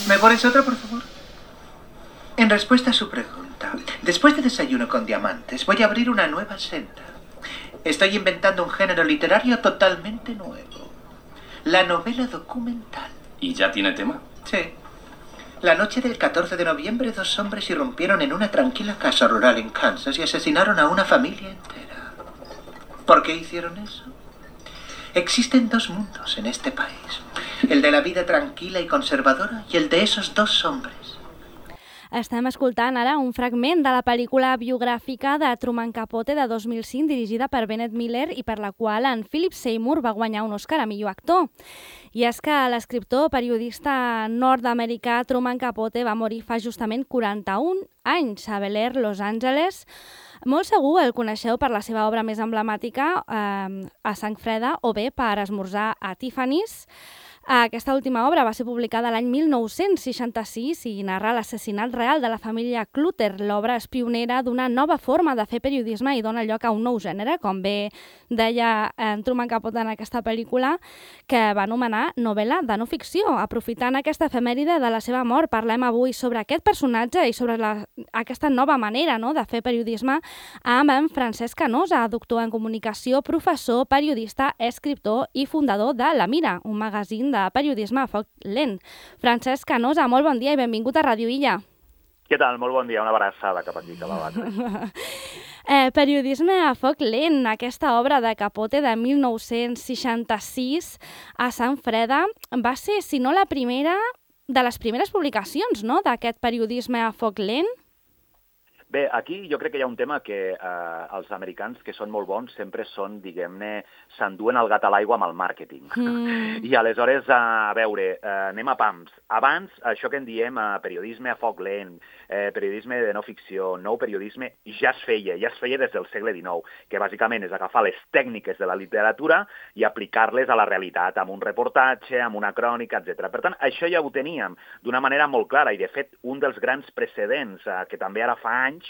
¿Me pones otra, por favor? En respuesta a su pregunta, después de Desayuno con Diamantes, voy a abrir una nueva senda. Estoy inventando un género literario totalmente nuevo. La novela documental. ¿Y ya tiene tema? Sí. La noche del 14 de noviembre, 2 hombres irrumpieron en una tranquila casa rural en Kansas y asesinaron a una familia entera. ¿Por qué hicieron eso? Existen 2 mundos en este país. El de la vida tranquila y conservadora y el de esos 2 hombres. Estem escoltant ara un fragment de la pel·lícula biogràfica de Truman Capote de 2005, dirigida per Bennett Miller i per la qual en Philip Seymour va guanyar un Oscar a millor actor. I és que l'escriptor periodista nord-americà Truman Capote va morir fa justament 41 anys a Bel Air, Los Angeles. Molt segur el coneixeu per la seva obra més emblemàtica, A sang freda, o bé per Esmorzar a Tiffany's. Aquesta última obra va ser publicada l'any 1966 i narra l'assassinat real de la família Clutter. L'obra és pionera d'una nova forma de fer periodisme i dona lloc a un nou gènere, com bé deia Truman Capote en aquesta pel·lícula, que va anomenar novel·la de no ficció. Aprofitant aquesta efemèride de la seva mort, parlem avui sobre aquest personatge i sobre aquesta nova manera de fer periodisme amb en Francesc Canosa, doctor en comunicació, professor, periodista, escriptor i fundador de La Mira, un magazín de periodisme a foc lent. Francesc Canosa, molt bon dia i benvingut a Ràdio Illa. Què tal? Molt bon dia, una abraçada cap aquí, cap a banda. Periodisme a foc lent, aquesta obra de Capote de 1966 a Sant Freda va ser, si no la primera, de les primeres publicacions d'aquest periodisme a foc lent. Bé, aquí jo crec que hi ha un tema que els americans, que són molt bons, sempre són, diguem-ne, s'enduen el gat a l'aigua amb el màrqueting. I aleshores, a veure, anem a pams. Abans, això que en diem periodisme a foc lent, periodisme de no ficció, nou periodisme, ja es feia des del segle XIX, que bàsicament és agafar les tècniques de la literatura i aplicar-les a la realitat, amb un reportatge, amb una crònica, etc. Per tant, això ja ho teníem d'una manera molt clara i, de fet, un dels grans precedents, que també ara fa anys,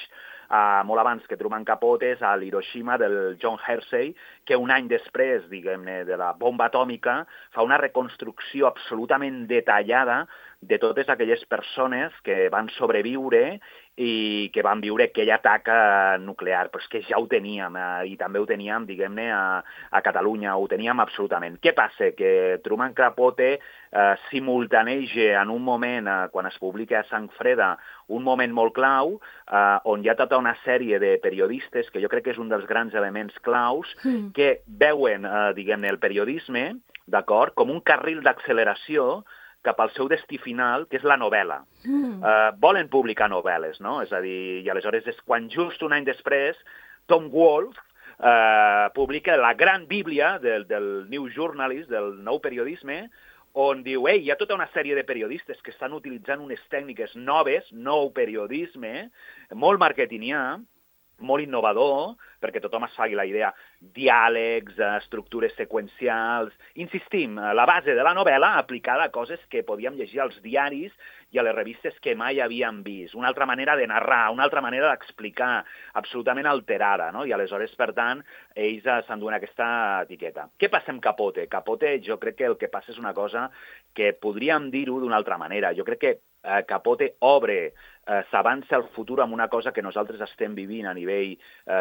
molt abans que Truman Capote, és a l'Hiroshima del John Hersey, que un any després, diguem-ne, de la bomba atòmica, fa una reconstrucció absolutament detallada de totes aquelles persones que van sobreviure i que van viure aquell atac nuclear. Però és que ja ho teníem, i també ho teníem, diguem-ne, a Catalunya, ho teníem absolutament. Què passa? Que Truman Capote simultaneja en un moment, quan es publica a Sang Freda, un moment molt clau, on hi ha tota una sèrie de periodistes, que jo crec que és un dels grans elements claus, que veuen, diguem-ne, el periodisme, d'acord, com un carril d'acceleració cap al seu destí final, que és la novel·la. Volen publicar novel·les, no? És a dir, i aleshores és quan just un any després Tom Wolfe publica la gran bíblia del New Journalist, del nou periodisme, on diu, hi ha tota una sèrie de periodistes que estan utilitzant unes tècniques noves, nou periodisme, molt marketingià, molt innovador, perquè tothom es faci la idea, diàlegs, estructures seqüencials. Insistim, la base de la novel·la aplicada a coses que podíem llegir als diaris i a les revistes que mai havíem vist. Una altra manera de narrar, una altra manera d'explicar, absolutament alterada, no? I aleshores, per tant, ells s'enduen aquesta etiqueta. Què passa amb Capote? Capote, jo crec que el que passa és una cosa que podríem dir-ho d'una altra manera. Jo crec que Capote obre, s'avança al futur amb una cosa que nosaltres estem vivint a nivell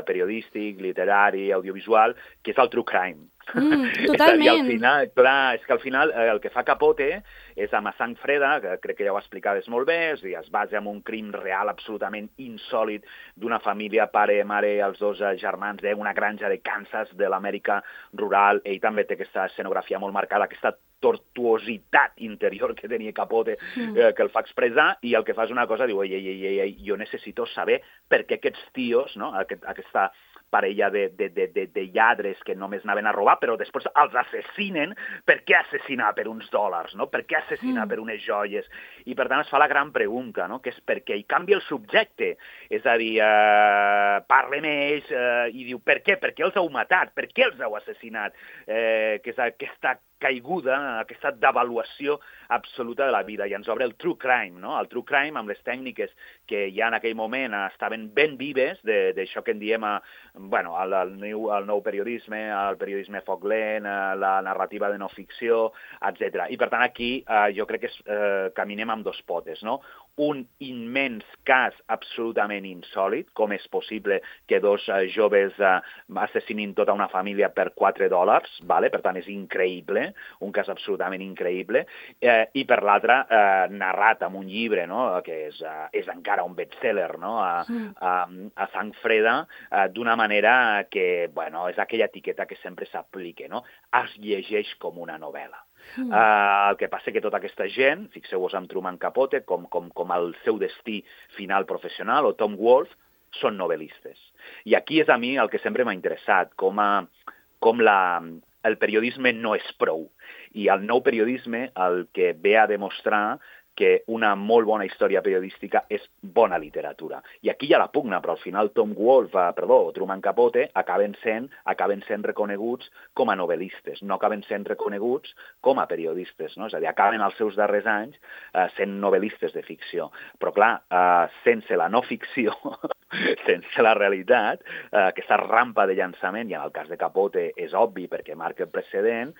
periodístic, literari, audiovisual, que és el true crime. Totalment. És que al final el que fa Capote és amb A sang freda, que crec que ja ho explicaves molt bé, és a dir, es basa en un crim real absolutament insòlit d'una família, pare, mare, els 2 germans d'una granja de Kansas, de l'Amèrica rural. Ell també té aquesta escenografia molt marcada, aquesta tortuositat interior que tenia Capote, que el fa expressar, i el que fa és una cosa, diu, jo necessito saber per què aquests tios, no? Aquesta parella de lladres que només anaven a robar, però després els assassinen. Per què assassinar per uns dòlars, no? Per què assassinar per unes joies? I per tant es fa la gran pregunta, no? Que és per què? I canvia el subjecte. És a dir, parla amb ells i diu, per què? Per què els heu matat? Per què els heu assassinat? Que és aquesta caiguda, aquesta devaluació absoluta de la vida. I ens obre el true crime, no? El true crime amb les tècniques que ja en aquell moment estaven ben vives, d'això que en diem el nou periodisme, el periodisme foc lent, la narrativa de no ficció, etc. I per tant aquí jo crec que caminem amb dos potes, no? Un immens cas absolutament insòlid, com és possible que dos joves assassinin tota una família per $4, vale? Per tant és increïble, un cas absolutament increïble, i per l'altre narrat en un llibre, no? Que és encara un bestseller, no? A sang freda, d'una manera que, bueno, és aquella etiqueta que sempre s'aplica, no? Es llegeix com una novel·la. El que passa que tota aquesta gent, fixeu-vos en Truman Capote, com el seu destí final professional, o Tom Wolfe, són novel·listes. I aquí és a mi el que sempre m'ha interessat, com el periodisme no és prou. I el nou periodisme el que ve a demostrar que una molt bona història periodística és bona literatura. I aquí hi ha la pugna, però al final Truman Capote acaben sent reconeguts com a novel·listes, no acaben sent reconeguts com a periodistes, no? És a dir, acaben els seus darrers anys sent novel·listes de ficció. Però clar, sense la no ficció, sense la realitat, aquesta rampa de llançament, i en el cas de Capote és obvi perquè marca el precedent,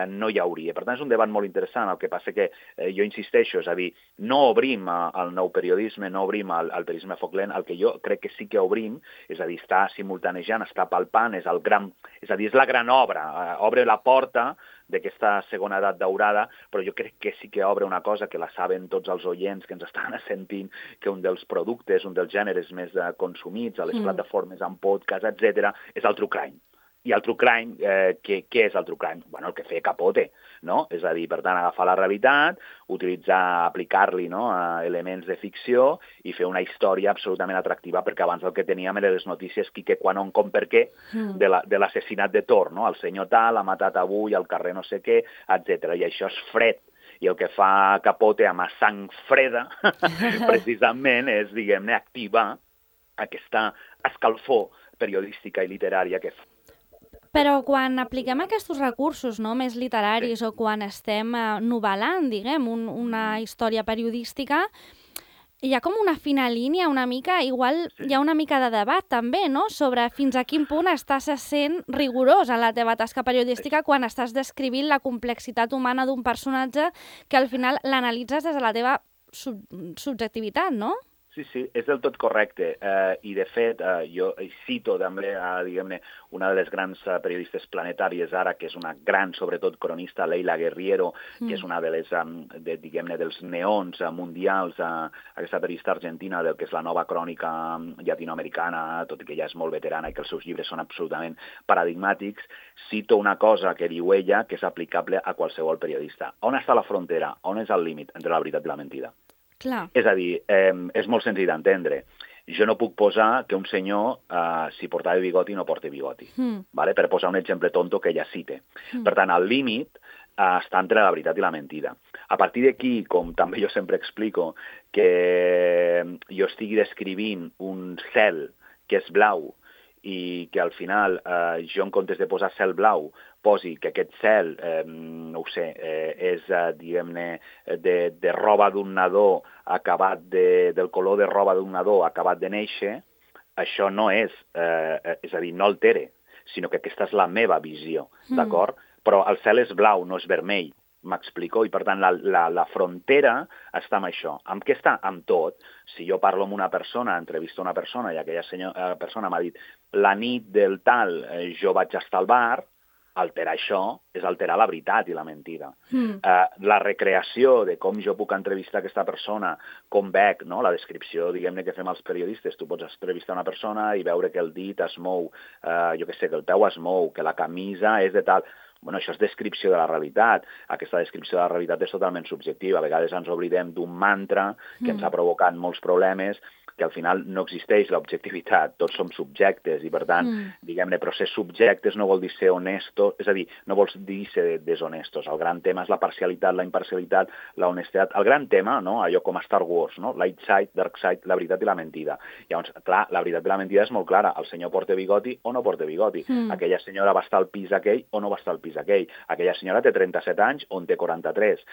no hi hauria. Per tant, és un debat molt interessant. El que passa que jo insisteixo, és a dir, no obrim el nou periodisme, no obrim el periodisme foc lent, el que jo crec que sí que obrim, és a dir, està simultanejant, està palpant, és la gran obra, obre la porta d'aquesta segona edat daurada, però jo crec que sí que obre una cosa que la saben tots els oients que ens estan sentint, que un dels productes, un dels gèneres més consumits a les plataformes en podcast, etc., és el true crime. I el true crime, què és el true crime? Bueno, el que feia Capote, no? És a dir, per tant, agafar la realitat, aplicar-li, no, elements de ficció i fer una història absolutament atractiva, perquè abans el que teníem eren les notícies qui, què, quan, on, com, per què de l'assassinat de Thor, no? El senyor tal ha matat avui al carrer no sé què, etc. I això és fred. I el que fa Capote amb sang freda, precisament, és, diguem-ne, activar aquesta escalfor periodística i literària que fa. Però quan apliquem aquests recursos, no, més literaris, o quan estem novel·lant, diguem, una història periodística, hi ha com una fina línia, una mica, igual hi ha una mica de debat també, no?, sobre fins a quin punt estàs sent rigorós en la teva tasca periodística quan estàs descrivint la complexitat humana d'un personatge que al final l'analitzes des de la teva subjectivitat, no? Sí, és del tot correcte. I, de fet, jo cito també, diguem-ne, una de les grans periodistes planetàries ara, que és una gran, sobretot, cronista, Leila Guerriero, que és una de les, diguem-ne, dels neons mundials, aquesta periodista argentina, del que és la nova crònica llatinoamericana, tot i que ja és molt veterana i que els seus llibres són absolutament paradigmàtics. Cito una cosa que diu ella que és aplicable a qualsevol periodista. On està la frontera? On és el límit entre la veritat i la mentida? Clar. És a dir, és molt senzill d'entendre. Jo no puc posar que un senyor, si portava bigoti, no porta bigoti, vale? Per posar un exemple tonto que ella cite. Per tant, el límit està entre la veritat i la mentida. A partir d'aquí, com també jo sempre explico, que jo estigui descrivint un cel que és blau i que al final jo, en comptes de posar cel blau, posi que aquest cel, no ho sé, és, diguem-ne, de roba d'un nadó acabat del color de roba d'un nadó acabat de néixer, això no és a dir, no altere, sinó que aquesta és la meva visió, d'acord? Però el cel és blau, no és vermell, m'explico? I, per tant, la frontera està amb això. Amb què està? Amb tot. Si jo parlo amb una persona, entrevisto una persona i aquella persona m'ha dit la nit del tal jo vaig estar al bar, alterar això és alterar la veritat i la mentida. La recreació de com jo puc entrevistar aquesta persona, com veig, no? La descripció, diguem-ne, que fem els periodistes. Tu pots entrevistar una persona i veure que el dit es mou, jo què sé, que el peu es mou, que la camisa és de tal. Bueno, això és descripció de la realitat. Aquesta descripció de la realitat és totalment subjectiva. A vegades ens oblidem d'un mantra que ens ha provocat molts problemes que al final no existeix l'objectivitat, tots som subjectes i per tant, diguem-ne, però ser subjectes no vol dir ser honestos, és a dir, no vol dir ser deshonestos. El gran tema és la parcialitat, la imparcialitat, la honestedat. El gran tema, no? Allò com a Star Wars, no? Light side, dark side, la veritat i la mentida. Llavors, clar, la veritat i la mentida és molt clara. El senyor porta bigoti o no porta bigoti. Aquella senyora va estar al pis aquell o no va estar al pis aquell. Aquella senyora té 37 anys o en té 43.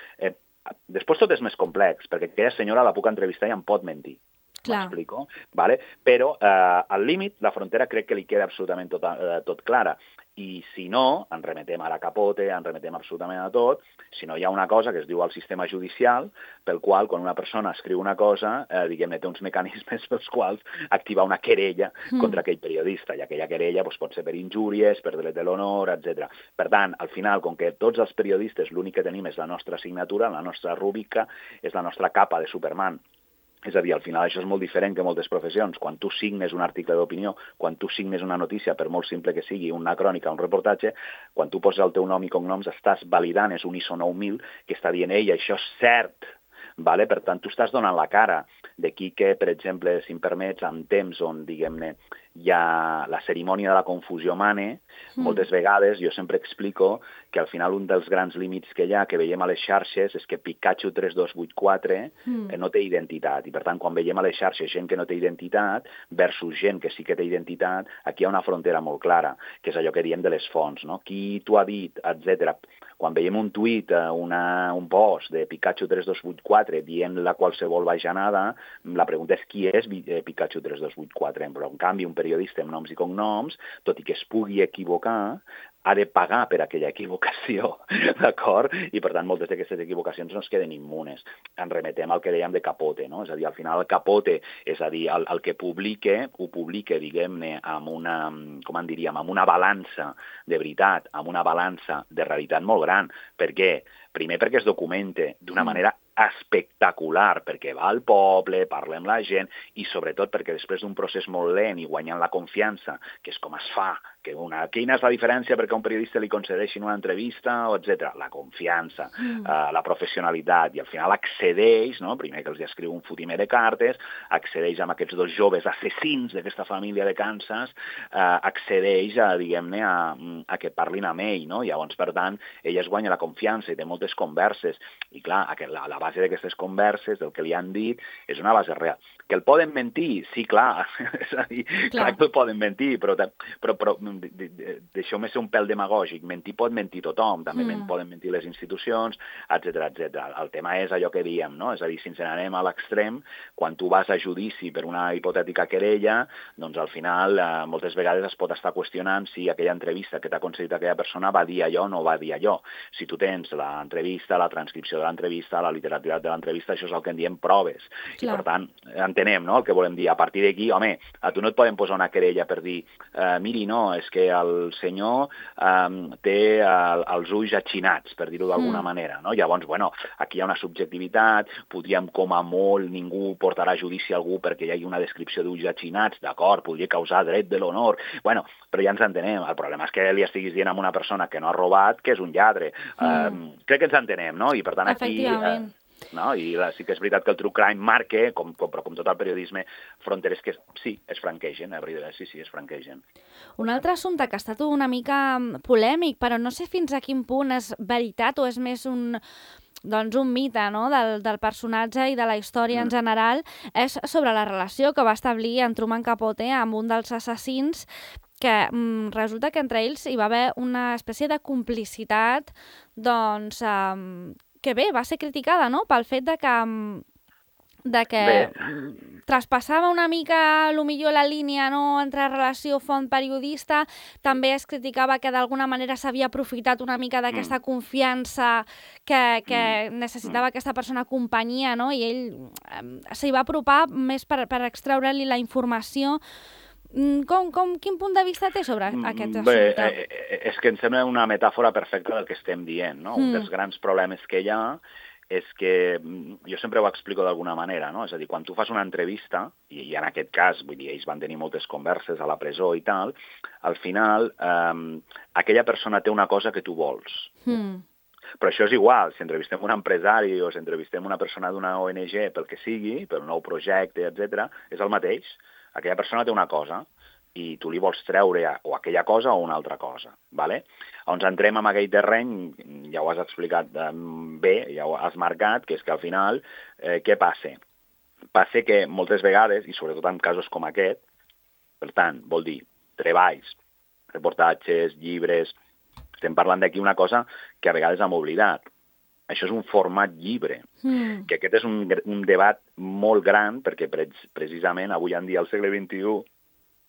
Després tot és més complex, perquè aquella senyora la puc entrevistar i em pot mentir. M'explico? Vale? Però al límit, la frontera crec que li queda absolutament tot clara. I si no, ens remetem a la Capote, ens remetem absolutament a tot, si no hi ha una cosa que es diu el sistema judicial, pel qual, quan una persona escriu una cosa, diguem-ne, té uns mecanismes pels quals activar una querella contra aquell periodista, i aquella querella pot ser per injúries, per delit de l'honor, etc. Per tant, al final, com que tots els periodistes l'únic que tenim és la nostra signatura, la nostra rúbrica, és la nostra capa de Superman. És a dir, al final això és molt diferent que moltes professions. Quan tu signes un article d'opinió, quan tu signes una notícia, per molt simple que sigui, una crònica, un reportatge, quan tu poses el teu nom i cognoms, estàs validant, és un ISO 9000 que està dient, ei, això és cert. Vale? Per tant, tu estàs donant la cara. D'aquí que, per exemple, si em permets, en temps on, diguem-ne, hi ha la cerimònia de la confusió mane, moltes vegades jo sempre explico que al final un dels grans límits que hi ha, que veiem a les xarxes, és que Pikachu 3284 no té identitat. I per tant, quan veiem a les xarxes gent que no té identitat versus gent que sí que té identitat, aquí hi ha una frontera molt clara, que és allò que diem de les fonts, no? Qui t'ho ha dit, etc. Quan veiem un tuit, un post de Pikachu 3284 dient-la qualsevol bajanada, la pregunta és qui és Pikachu 3284, però en canvi un periodista amb noms i cognoms, tot i que es pugui equivocar, ha de pagar per aquella equivocació, d'acord? I, per tant, moltes d'aquestes equivocacions no es queden immunes. En remetem al que dèiem de Capote, no? És a dir, al final el Capote, és a dir, el que ho publica, diguem-ne, amb una, com en diríem, amb una balança de veritat, amb una balança de realitat molt gran. Per què? Primer perquè es documente d'una manera espectacular, perquè va al poble, parla amb la gent, i sobretot perquè després d'un procés molt lent i guanyant la confiança, que és com es fa, quina és la diferència perquè a un periodista li concedeixin una entrevista, etc. La confiança, la professionalitat, i al final accedeix, no? Primer que els escriu un fotimer de cartes, accedeix amb aquests dos joves assassins d'aquesta família de Kansas, accedeix a, diguem-ne, a que parlin amb ell, no? Llavors, per tant, ell es guanya la confiança i té moltes converses, i clar, la base d'aquestes converses, del que li han dit, és una base real. Que el poden mentir? Sí, clar, és a dir, clar que el poden mentir, però deixeu-me ser un pèl demagògic, mentir pot mentir tothom, també poden mentir les institucions, etc. El tema és allò que diem, no? És a dir, si ens n'anem a l'extrem, quan tu vas a judici per una hipotètica querella, doncs al final moltes vegades es pot estar qüestionant si aquella entrevista que t'ha concedit aquella persona va dir allò o no va dir allò. Si tu tens l'entrevista, la transcripció de l'entrevista, la literalitat de l'entrevista, això és el que en diem proves. I per tant, entenem, no?, el que volem dir. A partir d'aquí, home, a tu no et poden posar una querella per dir miri, no, és que el senyor té els ulls atxinats, per dir-ho d'alguna manera, no? Llavors, bueno, aquí hi ha una subjectivitat, podríem, com a molt, ningú portarà a judici a algú perquè hi hagi una descripció d'ulls atxinats, d'acord, podria causar dret de l'honor, bueno, però ja ens entenem. El problema és que li estiguis dient a una persona que no ha robat que és un lladre. Crec que ens entenem, no? I per tant aquí... No? I sí que és veritat que el true crime marca, però com tot el periodisme, fronteres que sí, es franquegen, sí, es franquegen. Un altre assumpte que ha estat una mica polèmic, però no sé fins a quin punt és veritat o és més un mite, no?, del personatge i de la història en general, és sobre la relació que va establir en Truman Capote amb un dels assassins, que resulta que entre ells hi va haver una espècie de complicitat, doncs... que bé, va ser criticada, no?, pel fet de que traspassava una mica, millor la línia, no?, entre relació font-periodista. També es criticava que d'alguna manera s'havia aprofitat una mica d'aquesta confiança que necessitava aquesta persona companyia, no?, i ell s'hi va apropar més per extreure-li la informació. Quin punt de vista té sobre aquest assumpte? Bé, és que em sembla una metàfora perfecta del que estem dient, no? Un dels grans problemes que hi ha és que, jo sempre ho explico d'alguna manera, no? És a dir, quan tu fas una entrevista, i en aquest cas, vull dir, ells van tenir moltes converses a la presó i tal, al final aquella persona té una cosa que tu vols. Però això és igual, si entrevistem un empresari o si entrevistem una persona d'una ONG pel que sigui, per un nou projecte, etc., és el mateix. Aquella persona té una cosa i tu li vols treure o aquella cosa o una altra cosa. ¿Vale? Llavors entrem en aquell terreny, ja ho has explicat bé, ja ho has marcat, que és que al final, què passa? Passa que moltes vegades, i sobretot en casos com aquest, per tant, vol dir treballs, reportatges, llibres, estem parlant d'aquí una cosa que a vegades hem oblidat. Això és un format llibre, que aquest és un debat molt gran, perquè precisament avui en dia, al segle XXI,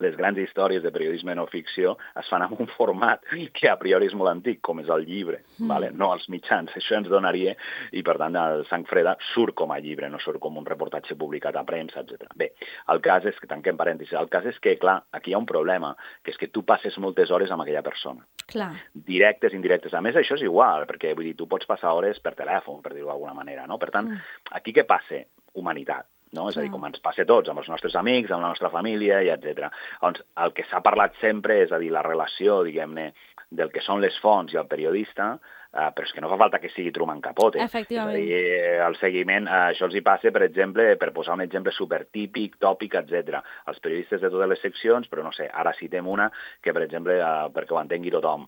les grans històries de periodisme no ficció es fan en un format que a priori és molt antic, com és el llibre, ¿vale? No els mitjans. Això ens donaria, i per tant el Sang Freda surt com a llibre, no surt com un reportatge publicat a premsa, etc. Bé, el cas és que, tanquem parèntesis, el cas és que, clar, aquí hi ha un problema, que és que tu passes moltes hores amb aquella persona. Clar. Directes, indirectes. A més, això és igual, perquè vull dir, tu pots passar hores per telèfon, per dir-ho d'alguna manera, no? Per tant, aquí què passa? Humanitat. No? És a dir, com ens passa a tots, amb els nostres amics, amb la nostra família, i etc. Doncs el que s'ha parlat sempre és a dir, la relació, diguem-ne, del que són les fonts i el periodista, però és que no fa falta que sigui Truman Capote. Efectivament. És a dir, el seguiment, això els hi passa, per exemple, per posar un exemple supertípic, tòpic, etc. Els periodistes de totes les seccions, però no sé, ara citem una que, per exemple, perquè ho entengui tothom,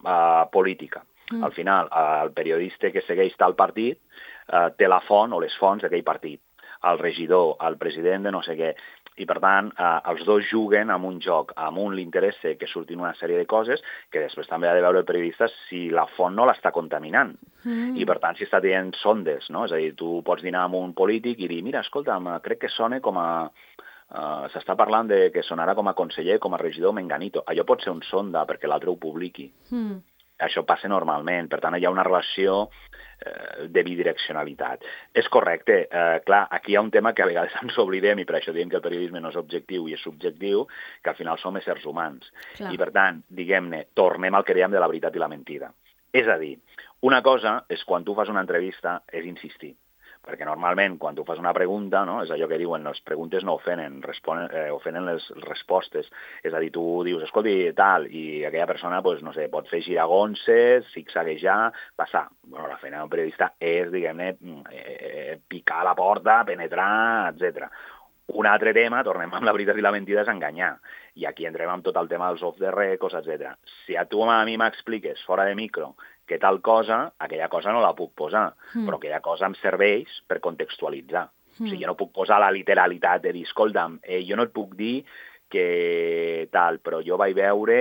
política. Al final, el periodista que segueix tal partit té la font o les fonts d'aquell partit. El regidor, el president de no sé què. I, per tant, els dos juguen amb un joc. A un li interessa que surtin una sèrie de coses que després també ha de veure el periodista si la font no l'està contaminant. I, per tant, si està dient sondes, no? És a dir, tu pots dinar amb un polític i dir, mira, escolta'm, crec que sona com a... s'està parlant de que sonarà com a conseller, com a regidor menganito. Allò pot ser un sonda perquè l'altre ho publiqui. Això passa normalment. Per tant, hi ha una relació de bidireccionalitat. És correcte. Clar, aquí hi ha un tema que a vegades ens oblidem i per això diem que el periodisme no és objectiu i és subjectiu, que al final som éssers humans. Clar. I per tant, diguem-ne, tornem al que dèiem de la veritat i la mentida. És a dir, una cosa és quan tu fas una entrevista és insistir. Perquè normalment, quan tu fas una pregunta, no, és allò que diuen, les preguntes no ofenen, ofenen les respostes. És a dir, tu dius, escolti, tal, i aquella persona, pues, no sé, pot fer giragonses, zigzaguejar, passar. Bueno, la feina d'un periodista és, diguem-ne, picar a la porta, penetrar, etc. Un altre tema, tornem amb la veritat i la mentida, és enganyar. I aquí entrem amb tot el tema dels off the records, etc. Si a tu a mi m'expliques fora de micro que tal cosa, aquella cosa no la puc posar, però aquella cosa em serveix per contextualitzar. O sigui, jo no puc posar la literalitat de dir, escolta'm, jo no et puc dir que tal, però jo vaig veure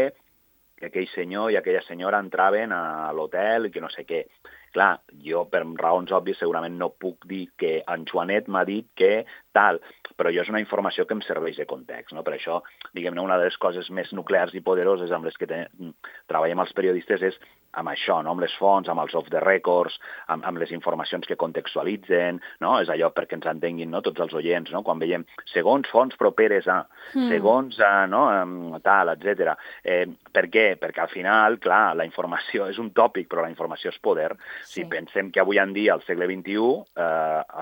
que aquell senyor i aquella senyora entraven a l'hotel i que no sé què. Clar, jo per raons òbvies segurament no puc dir que en Joanet m'ha dit que tal, però jo és una informació que em serveix de context, no? Per això, diguem-ne, una de les coses més nuclears i poderoses amb les que treballem els periodistes és amb això, no? Amb les fonts, amb els off the records, amb les informacions que contextualitzen, no? És allò perquè ens entenguin, no? Tots els oients, no? Quan veiem segons fonts properes a, segons no? Tal, etc. Per què? Perquè al final, clar, la informació és un tòpic, però la informació és poder. Si pensem que avui en dia, al segle XXI,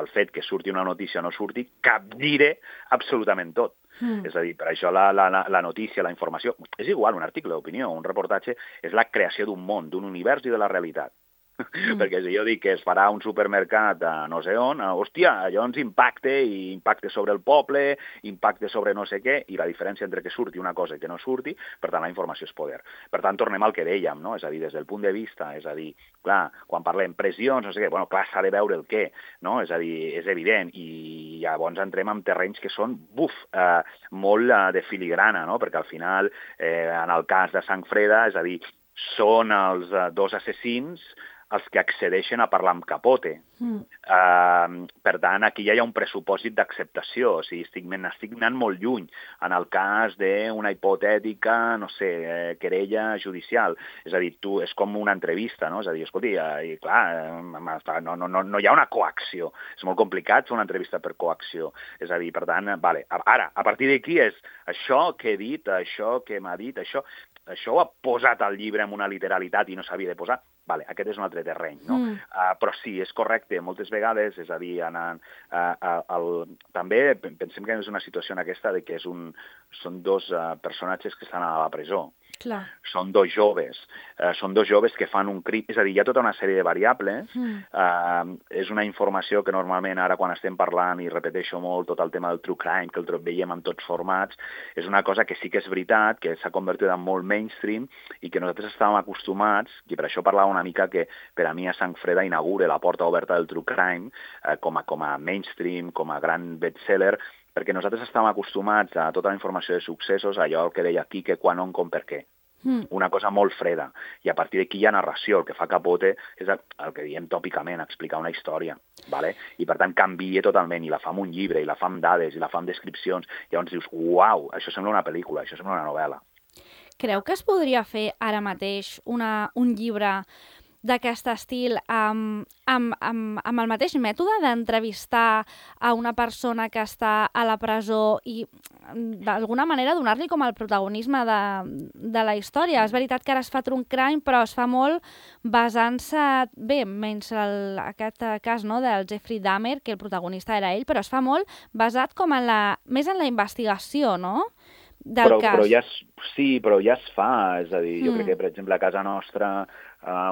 el fet que surti una notícia o no surti, capgira absolutament tot. És a dir, per això la notícia, la informació, és igual, un article d'opinió, un reportatge, és la creació d'un món, d'un univers i de la realitat. Perquè si jo dic que es farà un supermercat a no sé on, hòstia, allò ens impacte sobre el poble, impacte sobre no sé què, i la diferència entre que surti una cosa i que no surti, per tant, la informació és poder. Per tant, tornem al que dèiem, no? És a dir, des del punt de vista, és a dir, clar, quan parlem pressions, no sé què, bueno, clar, s'ha de veure el què, no? És a dir, és evident, i llavors entrem en terrenys que són, molt de filigrana, no? Perquè al final, en el cas de Sang Freda, és a dir, són els dos assassins els que accedeixen a parlar amb Capote. Per tant, aquí ja hi ha un pressupòsit d'acceptació, o sigui, estic anant molt lluny en el cas d'una hipotètica, no sé, querella judicial. És a dir, és com una entrevista, no? És a dir, escolti, i clar, no hi ha una coacció. És molt complicat fer una entrevista per coacció. És a dir, per tant, vale, ara, a partir d'aquí és això que he dit, això que m'ha dit, això ho ha posat al llibre amb una literalitat i no s'havia de posar. Vale, aquest és un altre terreny, no? Però sí, és correcte, moltes vegades, és a dir, també pensem que és una situació en aquesta de que són dos personatges que estan a la presó. Clar. Són dos joves que fan un crim, és a dir, hi ha tota una sèrie de variables, és una informació que normalment ara quan estem parlant, i repeteixo molt tot el tema del true crime, que el veiem en tots formats, és una cosa que sí que és veritat, que s'ha convertit en molt mainstream i que nosaltres estàvem acostumats, i per això parlava una mica que per a mi a Sang Freda inaugura la porta oberta del true crime com a mainstream, com a gran bestseller, perquè nosaltres estàvem acostumats a tota la informació de successos, allò que deia qui, què, quan, on, com, per què. Una cosa molt freda. I a partir d'aquí hi ha narració. El que fa Capote és el que diem tòpicament, explicar una història. ¿Vale? I per tant canvia totalment, i la fa amb un llibre, i la fa amb dades, i la fa amb descripcions. I llavors dius, uau, això sembla una pel·lícula, això sembla una novel·la. Creu que es podria fer ara mateix un llibre d'aquest estil amb el mateix mètode d'entrevistar a una persona que està a la presó i d'alguna manera donar-li com el protagonisme de la història? És veritat que ara es fa true crime, però es fa molt basant-se, bé, menys aquest cas del Jeffrey Dahmer, que el protagonista era ell, però es fa molt basat com més en la investigació, no?, del cas. Però ja es fa, és a dir, jo crec que, per exemple, a casa nostra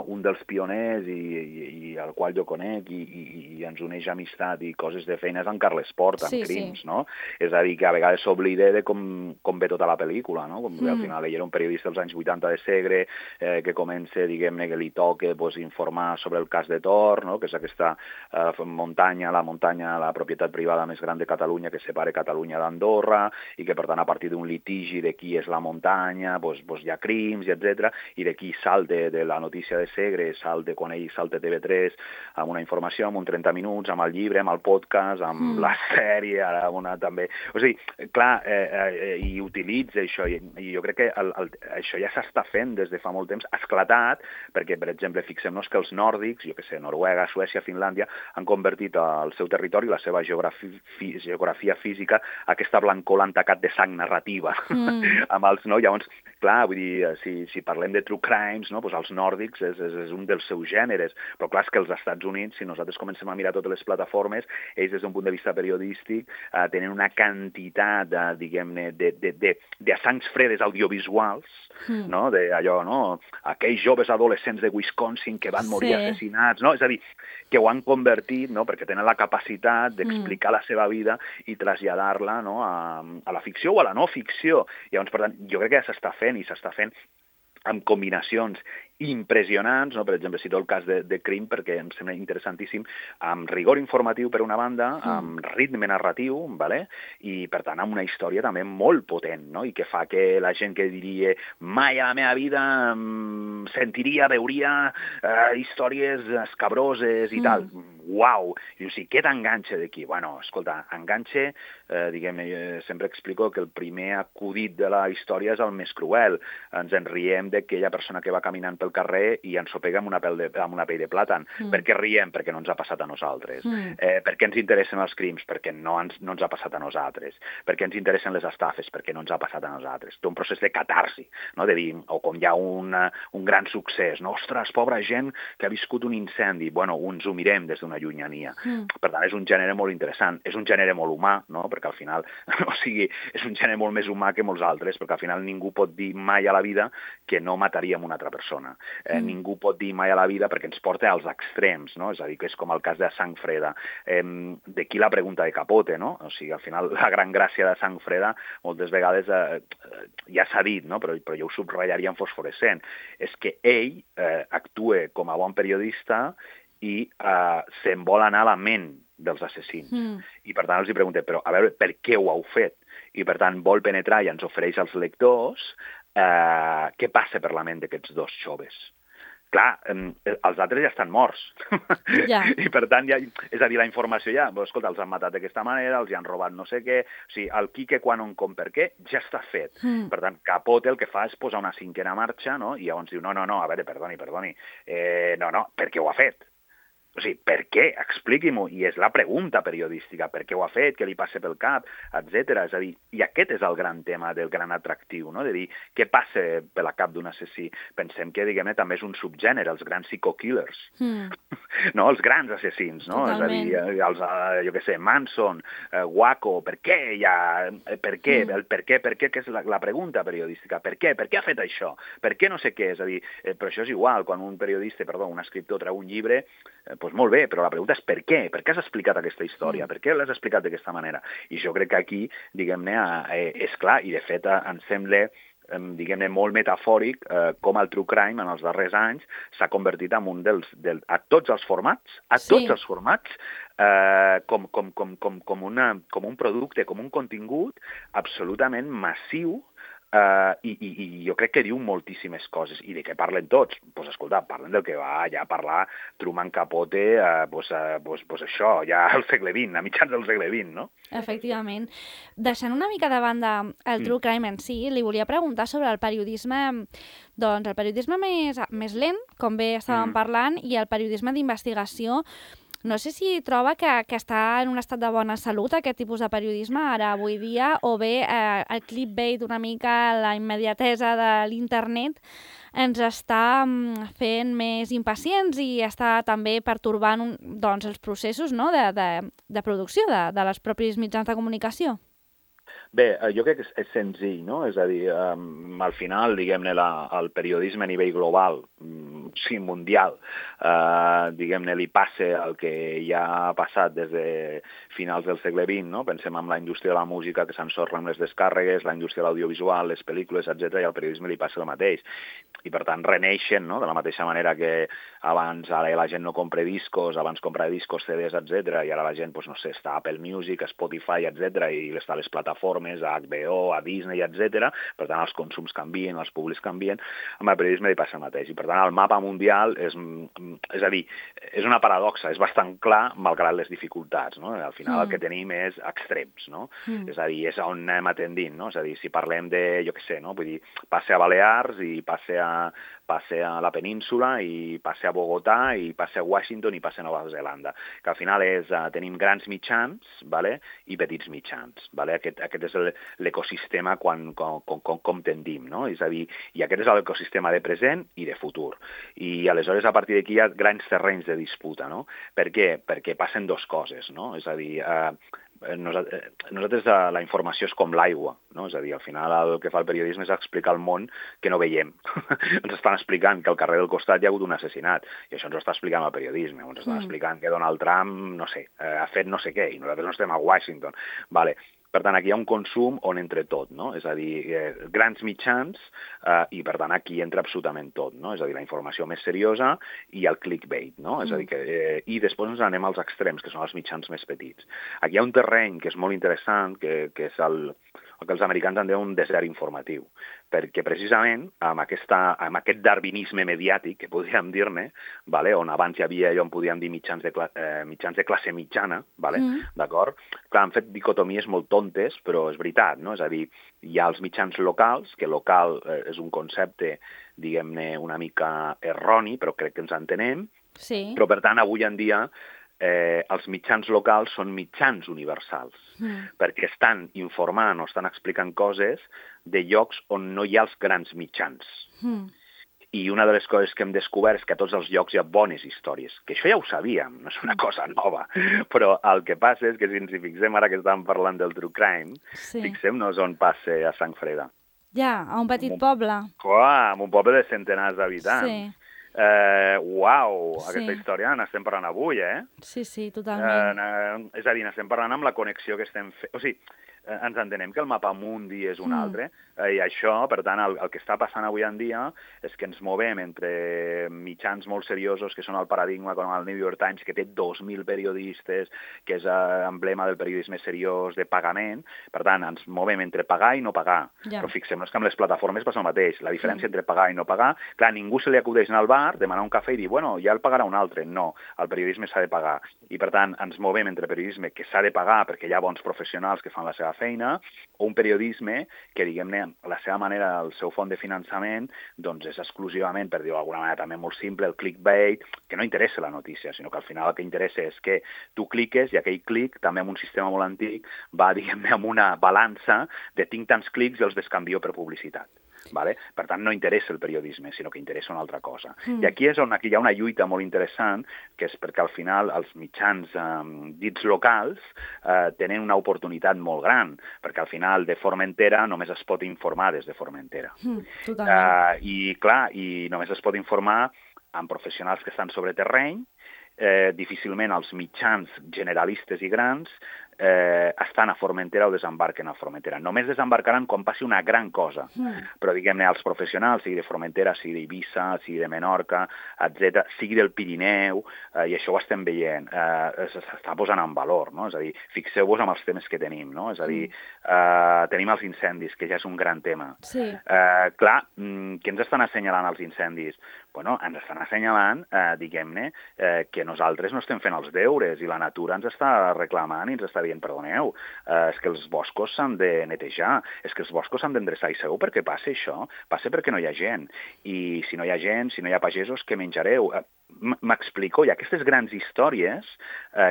un dels pioners i el qual jo conec i ens uneix amistat i coses de feina és en Carles Port, en Crims, no? És a dir, que a vegades s'oblida de com ve tota la pel·lícula, no? Com al final ell era un periodista dels anys 80 de Segre, que comença, diguem-ne, que li toca informar sobre el cas de Tor, no? Que és aquesta muntanya, la propietat privada més gran de Catalunya, que separa Catalunya d'Andorra, i que, per tant, a partir d'un litigi de qui és la muntanya, hi ha crims, etc. I d'aquí salta de la notícia de Segre, quan ell salta TV3 amb una informació, amb un 30 minuts, amb el llibre, amb el podcast, amb la sèrie, ara una també... O sigui, clar, i utilitza això, i jo crec que això ja s'està fent des de fa molt temps, ha esclatat, perquè, per exemple, fixem-nos que els nòrdics, jo què sé, Noruega, Suècia, Finlàndia, han convertit el seu territori, la seva geografia física, aquesta blancor l'han tacat de sang narrativa amb els, no? Llavors, clar, vull dir, si parlem de true crimes, no? Doncs els nòrdics és un dels seus gèneres, però clar, és que els Estats Units, si nosaltres comencem a mirar totes les plataformes, ells des d'un punt de vista periodístic tenen una quantitat, diguem-ne, de sangs fredes audiovisuals, no? D'allò, no? Aquells joves adolescents de Wisconsin que van morir assassinats, no? És a dir, que ho han convertit, no? Perquè tenen la capacitat d'explicar la seva vida i traslladar-la, no? A la ficció o a la no ficció. Llavors, per tant, jo crec que ja s'està fent amb combinacions impressionants, no? Per exemple, cito el cas de Crim perquè em sembla interessantíssim, amb rigor informatiu per una banda, amb ritme narratiu, ¿vale? I per tant amb una història també molt potent, no? I que fa que la gent que diria mai a la meva vida veuria històries escabroses i tal. Uau! I dius, què t'enganxa d'aquí? Bueno, escolta, enganxa, diguem-ne, sempre explico que el primer acudit de la història és el més cruel. Ens en riem d'aquella persona que va caminant pel carrer i ensopega amb una pell de plàtan. Per què riem? Perquè no ens ha passat a nosaltres. Per què ens interessen els crims? Perquè no ens ha passat a nosaltres. Per què ens interessen les estafes? Perquè no ens ha passat a nosaltres. Té un procés de catarsi, no? De dir, o com hi ha un gran succés, no? Ostres, pobra gent que ha viscut un incendi. Bueno, ens ho mirem des d'una llunyania. Per tant, és un gènere molt interessant. És un gènere molt humà, no? Perquè al final, és un gènere molt més humà que molts altres, perquè al final ningú pot dir mai a la vida que no mataríem una altra persona. Ningú pot dir mai a la vida perquè ens porta als extrems, no? És a dir, que és com el cas de Sang Freda. D'aquí la pregunta de Capote, no? O sigui, al final, la gran gràcia de Sang Freda, moltes vegades ja s'ha dit, no? Però jo ho subratllaria en fosforescent. És que ell actua com a bon periodista i se'n vol anar a la ment dels assassins. I per tant els pregunta, però a veure, per què ho heu fet? I per tant vol penetrar i ens ofereix als lectors què passa per la ment d'aquests dos joves. Clar, els altres ja estan morts. I per tant, és a dir, la informació ja, escolta, els han matat d'aquesta manera, els han robat no sé què, o sigui, el qui, què, quan, on, com, per què, ja està fet. Per tant, Capote el que fa és posar una cinquena marxa, no? I llavors diu, no, a veure, perdoni, no, per què ho ha fet? O sigui, per què? Expliqui-m'ho. I és la pregunta periodística. Per què ho ha fet? Què li passa pel cap? Etcètera. És a dir, i aquest és el gran tema del gran atractiu, no? De dir, què passa per la cap d'un assassí? Pensem que, diguem-ne, també és un subgènere, els grans psycho-killers. No? Els grans assassins, no? Totalment. És a dir, els, jo què sé, Manson, Waco, per què hi ha... Per què? El per què, que és la pregunta periodística. Per què? Per què ha fet això? Per què no sé què? És a dir, però això és igual, quan un escriptor treu un llibre, doncs molt bé, però la pregunta és per què? Per què has explicat aquesta història? Per què l'has explicat d'aquesta manera? I jo crec que aquí, diguem-ne, és clar, i de fet em sembla, diguem-ne, molt metafòric com el true crime en els darrers anys s'ha convertit en un a tots els formats, com un producte, com un contingut absolutament massiu. I jo crec que diu moltíssimes coses. I de què parlen tots? Doncs escolta, parlen del que va ja parlar Truman Capote, això, ja al segle XX, a mitjans del segle XX, no? Efectivament. Deixant una mica de banda el true crime en si, li volia preguntar sobre el periodisme, doncs el periodisme més lent, com bé estàvem parlant, i el periodisme d'investigació. No sé si troba que està en un estat de bona salut aquest tipus de periodisme ara avui dia, o bé el clickbait, una mica la immediatesa de l'internet ens està fent més impacients i està també pertorbant doncs, els processos, no? de producció de les propis mitjans de comunicació. Bé, jo crec que és senzill, no? És a dir, al final, diguem-ne, el periodisme a nivell global, sí, mundial, diguem-ne, li passa el que ja ha passat des de finals del segle XX, no? Pensem en la indústria de la música, que s'ensorra amb les descàrregues, la indústria de l'audiovisual, les pel·lícules, etc., i al periodisme li passa el mateix. I, per tant, reneixen, no? De la mateixa manera que abans ara la gent no compra discos, abans comprava discos, CDs, etc., i ara la gent, doncs, no sé, està a Apple Music, a Spotify, etc., i està a les plataformes, a HBO, a Disney, etc. Per tant, els consums canvien, els públics canvien, amb el periodisme li passa el mateix. I, per tant, el mapa mundial és a dir, és una paradoxa, és bastant clar, malgrat les dificultats, no? Al final el que tenim és extrems, no? És a dir, és on anem atendint, no? És a dir, si parlem de, jo què sé, no? Vull dir, passe a Balears i passe a la península i passe a Bogotà i passe a Washington i passe a Nova Zelanda. Que al final tenim grans mitjans, vale? I petits mitjans. Vale? Aquest és l'ecosistema com tendim, no? És a dir, i aquest és l'ecosistema de present i de futur. I aleshores a partir d'aquí hi ha grans terrenys de disputa, no? Per què? Perquè passen dues coses, no? És a dir, nosaltres la informació és com l'aigua, no? És a dir, al final el que fa el periodisme és explicar el món que no veiem. Ens estan explicant que al carrer del costat hi ha hagut un assassinat, i això ens ho està explicant el periodisme, ens estan explicant que Donald Trump, no sé, ha fet no sé què, i nosaltres no estem a Washington. Vale. Per tant, aquí hi ha un consum on entra tot, no? És a dir, grans mitjans i, per tant, aquí entra absolutament tot, no? És a dir, la informació més seriosa i el clickbait, no? És a dir, i després ens anem als extrems, que són els mitjans més petits. Aquí hi ha un terreny que és molt interessant, que és el que els americans en diuen un desert informatiu, perquè precisament amb aquest darwinisme mediàtic, que podríem dir-ne, vale? On abans hi havia allò on podíem dir mitjans de classe mitjana, vale? D'acord? Clar, han fet dicotomies molt tontes, però és veritat, no? És a dir, hi ha els mitjans locals, que local és un concepte, diguem-ne, una mica erroni, però crec que ens entenem, però per tant, avui en dia, els mitjans locals són mitjans universals, perquè estan informant o estan explicant coses de llocs on no hi ha els grans mitjans. I una de les coses que hem descobert és que a tots els llocs hi ha bones històries, que això ja ho sabíem, no és una cosa nova, però el que passa és que si ens hi fixem ara que estàvem parlant del true crime, fixem-nos on passa a Sant Freda. Ja, a un petit poble. Clar, en un poble de centenars d'habitants. Uau, aquesta història n'estem parlant avui, Sí, totalment. És a dir, n'estem parlant amb la connexió que estem fent. O sigui, ens entenem que el mapa mundi és un altre, i això, per tant, el que està passant avui en dia és que ens movem entre mitjans molt seriosos, que són el paradigma com el New York Times, que té 2.000 periodistes, que és emblema del periodisme seriós de pagament. Per tant, ens movem entre pagar i no pagar. Però fixem-nos que amb les plataformes passa el mateix. La diferència entre pagar i no pagar, clar, ningú se li acudeix anar al bar bar, demanar un cafè i dir, bueno, ja el pagarà un altre. No, el periodisme s'ha de pagar. I, per tant, ens movem entre periodisme que s'ha de pagar perquè hi ha bons professionals que fan la seva feina, o un periodisme que, diguem-ne, la seva manera, el seu font de finançament, doncs és exclusivament, per dir-ho d'alguna manera també molt simple, el clickbait, que no interessa la notícia, sinó que al final el que interessa és que tu cliques i aquell clic, també amb un sistema molt antic, va, diguem-ne, amb una balança de tinc tants clics i els descanvio per publicitat. Vale? Per tant, no interessa el periodisme, sinó que interessa una altra cosa. I aquí és on aquí hi ha una lluita molt interessant, que és perquè al final els mitjans dits locals tenen una oportunitat molt gran, perquè al final de Formentera només es pot informar des de Formentera. I clar, i només es pot informar amb professionals que estan sobre terreny, difícilment els mitjans generalistes i grans estan a Formentera o desembarquen a Formentera. Només desembarcaran quan passi una gran cosa. Però, diguem-ne, els professionals, sigui de Formentera, sigui d'Eivissa, sigui de Menorca, etc., sigui del Pirineu, i això ho estem veient, s'està posant en valor, no? És a dir, fixeu-vos amb els temes que tenim, no? És a dir, tenim els incendis, que ja és un gran tema. Clar, què ens estan assenyalant els incendis? Bueno, ens estan assenyalant, diguem-ne, que nosaltres no estem fent els deures i la natura ens està reclamant i ens està dient, perdoneu, és que els boscos s'han de netejar, és que els boscos s'han d'endreçar. I sabeu per què passa això? Passa perquè no hi ha gent. I si no hi ha gent, si no hi ha pagesos, què menjareu? M'explico, hi ha aquestes grans històries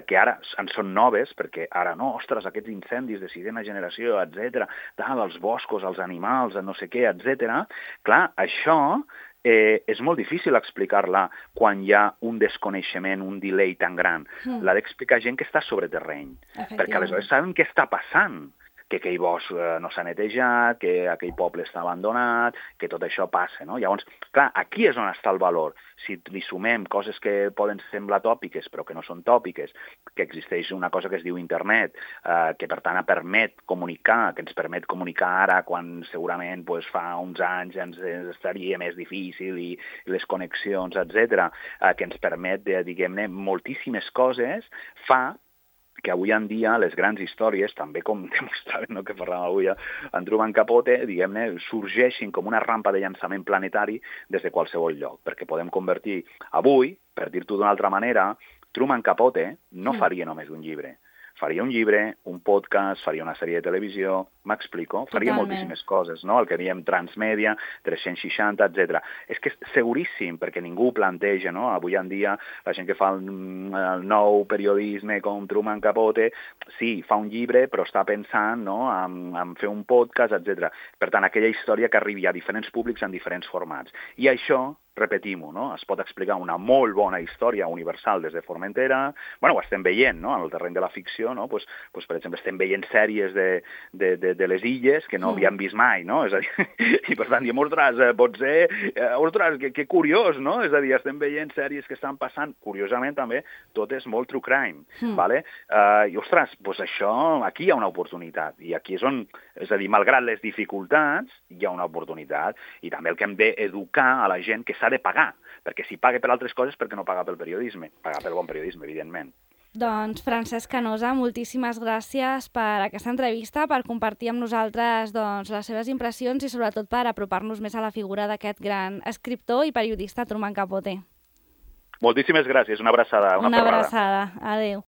que ara en són noves, perquè ara no, ostres, aquests incendis de sisena generació, etc., els boscos, els animals, no sé què, etc. Clar, això és molt difícil explicar-la quan hi ha un desconeixement, un delay tan gran. L'ha d'explicar gent que està sobre terreny, perquè aleshores saben què està passant, que aquell bosc no s'ha netejat, que aquell poble està abandonat, que tot això passa, no? Llavors, clar, aquí és on està el valor. Si li sumem coses que poden semblar tòpiques, però que no són tòpiques, que existeix una cosa que es diu internet, que per tant permet comunicar, que ens permet comunicar ara quan segurament fa uns anys ens estaria més difícil i les connexions, etc., que ens permet, diguem-ne, moltíssimes coses, fa que avui en dia les grans històries, també com demostraven, no, que parlàvem avui en Truman Capote, diguem-ne, sorgeixin com una rampa de llançament planetari des de qualsevol lloc, perquè podem convertir avui, per dir-t'ho d'una altra manera, Truman Capote no faria només un llibre. Faria un llibre, un podcast, faria una sèrie de televisió, m'explico, faria moltíssimes coses, no? El que diem transmèdia, 360, etc. És que és seguríssim, perquè ningú ho planteja, no? Avui en dia, la gent que fa el nou periodisme com Truman Capote, sí, fa un llibre, però està pensant, no?, en fer un podcast, etc. Per tant, aquella història que arribi a diferents públics en diferents formats. I això, repetim-ho, no? Es pot explicar una molt bona història universal des de Formentera. Bueno, ho estem veient, no?, en el terreny de la ficció, no? Pues, per exemple, estem veient sèries de les illes que no havíem vist mai, no? És a dir, i per tant diem, ostres, que curiós, no? És a dir, estem veient sèries que estan passant, curiosament també, tot és molt true crime, vale? I, ostres, doncs això, aquí hi ha una oportunitat, i aquí és on, és a dir, malgrat les dificultats, hi ha una oportunitat, i també el que hem d'educar a la gent que s'ha de pagar, perquè si paga per altres coses, perquè no paga pel periodisme? Paga pel bon periodisme, evidentment. Doncs, Francesc Canosa, moltíssimes gràcies per aquesta entrevista, per compartir amb nosaltres les seves impressions i sobretot per apropar-nos més a la figura d'aquest gran escriptor i periodista Truman Capote. Moltíssimes gràcies, una abraçada. Una abraçada, adéu.